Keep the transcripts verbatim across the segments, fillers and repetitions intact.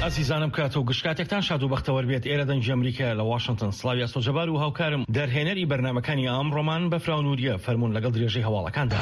ئازیزانم، کات و گشت کاتێکتان شاد و بەختەوەر بێت. ئێرە دەنگی ئەمریکا لە واشنگتن. سڵاوی ئەسۆ جەبار و هاوکارم دەرهێنەری بەرنامەکانی ئەمڕۆمان بەفراو نووریە. فەرمونون لەگەڵ درێژەی هەواڵەکاندا.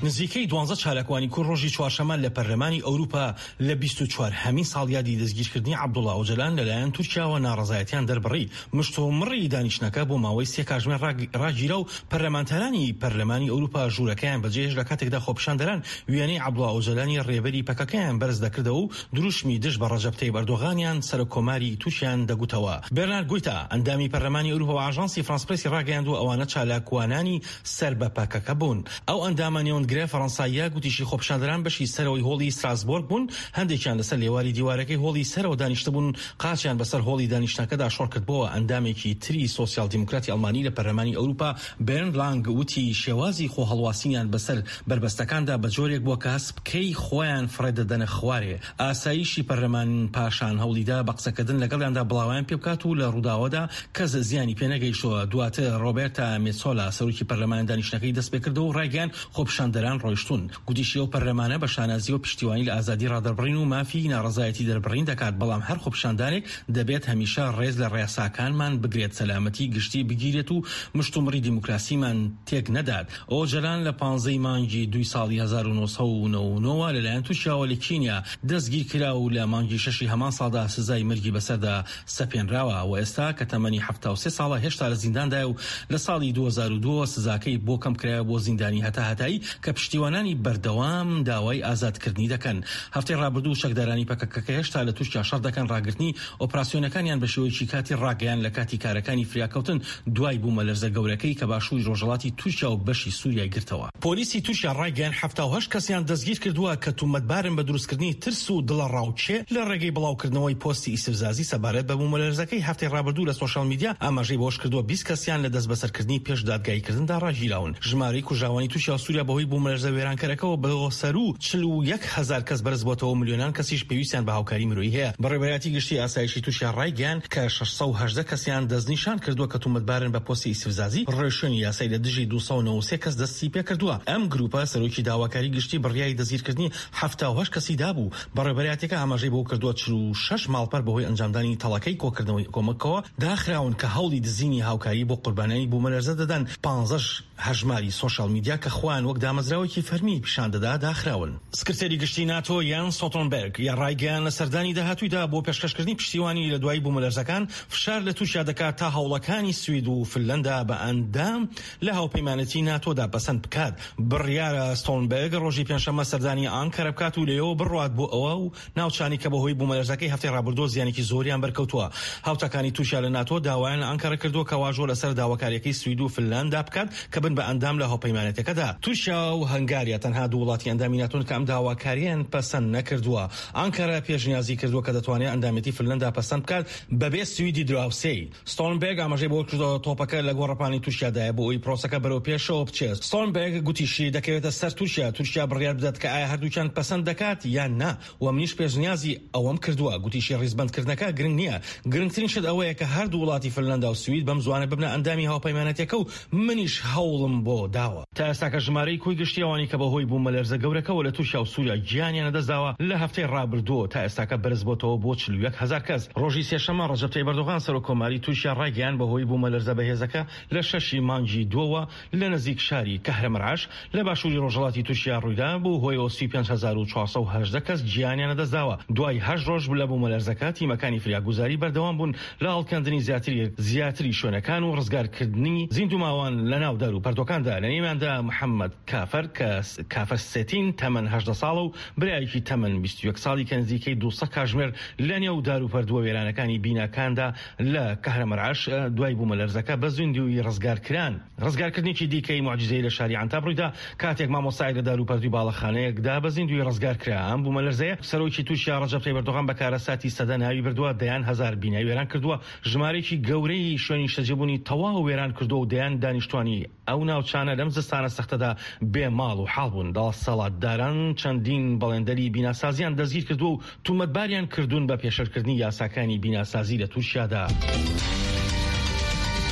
نزیکەی دوانزە چالاکوانی کورد ڕۆژی چوارشەممە لە پەرلەمانی ئەوروپا لە بیست و چوار هەمین ساڵیادی دەستگیرکردنی عەبدوڵا ئۆجەلان لەلایەن تورکیاوە ناڕەزایەتیان دەربڕی. مشتومڕی دانیشتنەکە بۆ ماوەی سێ کاتژمێر ڕاگیرا و پەرلەمانتارانی پەرلەمانی ئەوروپا ژوورەکەیان بەجێهێشت، لە کاتێکدا خۆپیشاندەران وێنەی عەبدوڵا ئۆجەلانی ڕێبەری پەکەکەیان بەرز دەکردەوە و دروشمی دژ بە ڕەجەب تەیب ئەردۆغانیان سەرۆک کۆماری تورکیان دەگوتەوە. بێرنارد گویتا، ئەندامی پەرلەمانی ئەوروپا، بە ئاژانسی فرانس پرێسی ڕاگەیاندووە ئەوانە چالاکوانانی سەر بە پەکەکە بوون. ئەو ئەندامە نێوەندگرە فەڕەنساییە گوتیشی خۆپیشاندەران بەشی سەرەوەی هۆڵی ستراسبۆرگ بوون، هەندێکیان لەسەر لێواری دیوارەکەی هۆڵی سەرەوە دانیشتبوون، قاچیان بەسەر هۆڵی دانیشتنەکەدا شۆڕکردبووە. ئەندامێکی تری سۆسیال دیموکراتی ئەڵمانی لە پەرلەمانی ئەوروپا، بێرند لانگ، وتی شێوازی خۆهەڵواسینیان بەسەر بەربەستەکاندا بە جۆرێک بووە کە هەست بکەی خۆیان فڕێ دەدەنە خوارێ. ئاسایشی پەرلەمان پاشان هەوڵیدا بە قسەکردن لەگەڵیاندا بڵاویان پێبکات و لە ڕووداوەدا کەس زیانی پێنەگەیشتووە. دواتر ڕۆبێرتا مێتسۆلا، سەرۆکی پەرلەمان، دانیشتنەکەی دەستپێکردەوە و ڕایگەیاند خۆپیشاندەران ڕۆیشتون. گوتیشی ئەو پەرلەمانە بە شانازیەوە پشتیوانی لە ئازادی ڕادەربڕین و مافی ناڕەزایەتی دەربڕین دەکات، بەڵام هەر خۆپیشاندانێک دەبێت هەمیشە ڕێز لە ڕێساکانمان بگرێت، سەلامەتی گشتی بگیرێت و مشتومڕی دیموکراسیمان تێک نەدات. ئۆجەلان لە پانزەی مانگی دوی ساڵی هەزار و نۆ سەد و نەوەد و نۆ لەلایەن تورکیاوە لە کینیا دەستگیر کرا و لە مانگی شەشی هەمان ساڵدا سزای مەرگی بەسەردا سەپێنراوە و ئێستا کە تەمەنی حەفتا و سێ ساڵە هێشتا لە زینداندایە و لە ساڵی دوو هەزار و دوو سزاکەی بۆ کەم کرایە بۆ زیندانی هەتا هەتایی کە پشتیوانانی بەردەوام داوای ئازادکردنی دەکەن. هەفتەی ڕابردوو چەکدارانی پەکەکە کە هێشتا لە تورکیا شەڕ دەکەن ڕاگرتنی ئۆپراسیۆنەکانیان بە شێوەیەکی کاتی ڕاگەیان لە کاتی کارەکانی فریاکەوتن دوای بوومەلەرزە گەورەکەی کە باشووری ڕۆژهەڵاتی تورکیا و بەشی سووریای گرتەوە. پۆلیسی تورکیا ڕایگەیان حەفتا و هەشت کەسیان دەستگیر کردووە کە تومەتبارن بە دروستکردنی ترس و دڵەڕاوکێ لە ڕێگەی بڵاوکردنەوەی پۆستی ئیستفزازی سەبارەت بە بوومەلەرزەکەی هەفتەی ڕابردوو لە سۆشیال میدیا. ئاماژەی بەوەشکردووە بیست کەسیان لە دەستبەسەرکردنی پێش دادگاییکردندا ڕاگیراون. ژمارەی کوژراوانی تورکیا و سووریا بەهۆی بوومەلەرزە وێرانکەرەکەوە بۆ سەروو چل و یەک هەزار کەس بەرز بۆتەوە، ملیۆنان کەسیش پێویستیان بە هاوکاری مرۆیی هەیە. بەڕێوەبەرایەتی گشتی ئاسایشی تورکیا ڕایگەیاند کە شەش سەد و هەژدە کەسیان دەستنیشان کردووە کە تومەتبارن بە پۆستی ئیستفزازی. ڕێوشوێنی یاسایی لە دژی دوو سەد و نەوەد و سێ کەس دەستی پێکردووە. ئەم گروپە سەرۆکی داواکاری گشتی بڕیاری دەستگیرکردنی حەفتا و هەشت کەسی دابوو. بەڕێوەبەرایەتیەکە ئاماژەی بەوە کردووە چل و شەش ماڵپەر بەهۆی ئەنجامدانی تەڵەکەی کۆکردنەوەی کۆمەکەوە داخراون کە هەوڵی دزینی هاوکاری بۆ قوربانیانی بوومەلەرزە دەدەن. پانزەش هەژماری سۆشیال میدیا کە خۆیان وەک دامەزراوێکی فەرمی پیشان دەدا داخراون. سکرتێری گشتی ناتۆ یان ستۆڵتنبێرگ یا ڕایگەیان لە سەردانی داهاتوویدا بۆ پێشکەشکردنی پشتیوانی لە دوای بوومەلەرزەکان فشار لە تورکیا دەکات تا هەوڵەکانی سوید و فنلەندا بە ئەندام لە هاوپەیمانێتی ناتۆدا پەسەند بکات. بڕیارە ستۆڵتنبێرگ ڕۆژی پێنجشەممە سەردانی ئانکەرە بکات و لەوێوە بڕوات بۆ ئەوە و ناوچانی کە بەهۆی بوومەلەرزەکەی هەفتەی ڕابردووە زیانێکی زۆریان بەرکەوتووە. هاوتاکانی تورکیا لە ناتۆ داوایان لە ئانکەرە کردووە کە واژۆ لەسەر داواکاریەکەی سوید و فنلەندا بکات کە بن بە ئەندام لە هاوپەیمانێتەکەدا. تورکیا و هەنگاریا تەنها دوو وڵاتی ئەندامی ناتۆن کە ئەم داواکاریان پەسەند نەکردووە. ئانکەرە پێشنیازی کردووە کە دەتوانێت ئەندامێتی فنلەندا پەسەند بکات بەبێ سویدی دراوسێی. ستۆڵتنبێرگ ئاماژەی بەوە کردووە تۆپەکە لە گۆڕەپانی تورکیادایە بۆ ئەوەی پرۆسەکە بەرەو پێشەوە بچێت. ستۆڵتنبێرگ گوتیشی دەکەوێتە سەر تورکیا، تورکیا بڕیار بدات کە ئایا هەردووکیان پەسەند دەکات یان نا و منیش پێشنیازی ئەوەم کردووە. گوتیشی ڕیزبەندکردنەکە گرنگ نییە، گرنگترین شت ئەوەیە کە هەردوو وڵاتی فنلەندا و سوید بەم زوانە ببنە ئەندامی هاوپەیمانەتەکە و منیش هەوڵم بۆ داوە. تا ئێستاکە ژمارەی کۆی گشتی ئەوانەی کە بەهۆی بوومەلەرزە گەورەکەوە لە تورکیا و سووریا گیانیان لەدەستداوە لە هەفتەی ڕابردووە تا ئێستاکە بەرز بۆتەوە بۆ چل و یەک هەزار کەس. ڕۆژی سێشەممە ڕەجەب تەیب ئەردۆغان سەرۆک کۆماری تورکیا ڕایگەیاند بەهۆی بوومەلەرزە بەهێزەکە لە شەشی مانگی دووەوە لە نزیک شاری کەهرەمەرعەش لە باشووری ڕۆژهەڵاتی تورکیا ڕوویدا بوو هۆیەوە سی و پێنج هەزار و چوار سەد و هەژدە کەس گیانیان لەدەستداوە. دوای هەشت ڕۆژ لە بوومەلەرزەکە تیمەکانی فریاگوزاری بەردەوام بوون لە هەڵکەندنی زیاتری زیاتری شوێنەکان و ڕزگارکردنی زیندووماوان لە ناو دار و پەردۆکاندا. لە نێویاندا محەممەد کافەر کە کافەر سێتین تەمەن هەژدە ساڵە و برایەکی تەمەن بیست و یەک ساڵی کە نزیکەی دوو سەد کاتژمێر لە نێو دار و پەردووە وێرانەکانی بیناکاندا لە کەهرەمەرعەش دوای بوومەلەرزەکە بە زیندوویی ڕزگارکران. ڕزگارکردنێکی دیکەی موعجیزەیی لە شاری عەنتاب ڕوویدا کاتێک مامۆستایەک لە دار و پەردووی باڵەخانەیەکدا بە زیندوویی ڕزگار کرا. ئەم بوومەلەرزەیە سەرۆکی تورکیا ڕەجەب تەیب ئەردۆغان بە کارەساتی سەدە ناوی بردووە، دەیان هەزار بینای وێران کردووە، ژمارەیەکی گەورەی شوێنی نیشتەجێبوونی تەواو وێران کردووە و دەیان دانیشتوانی ئەو ناوچانە لەم زستانە سەختەدا بێ ماڵ و حاڵ بوون. دەسەڵاتداران چەندین بەڵێندەری بیناسازیان دەستگیر کردووە و تومەتباریان کردوون بە پێشێلکردنی یاساکانی بیناسازی لە تورکیادا.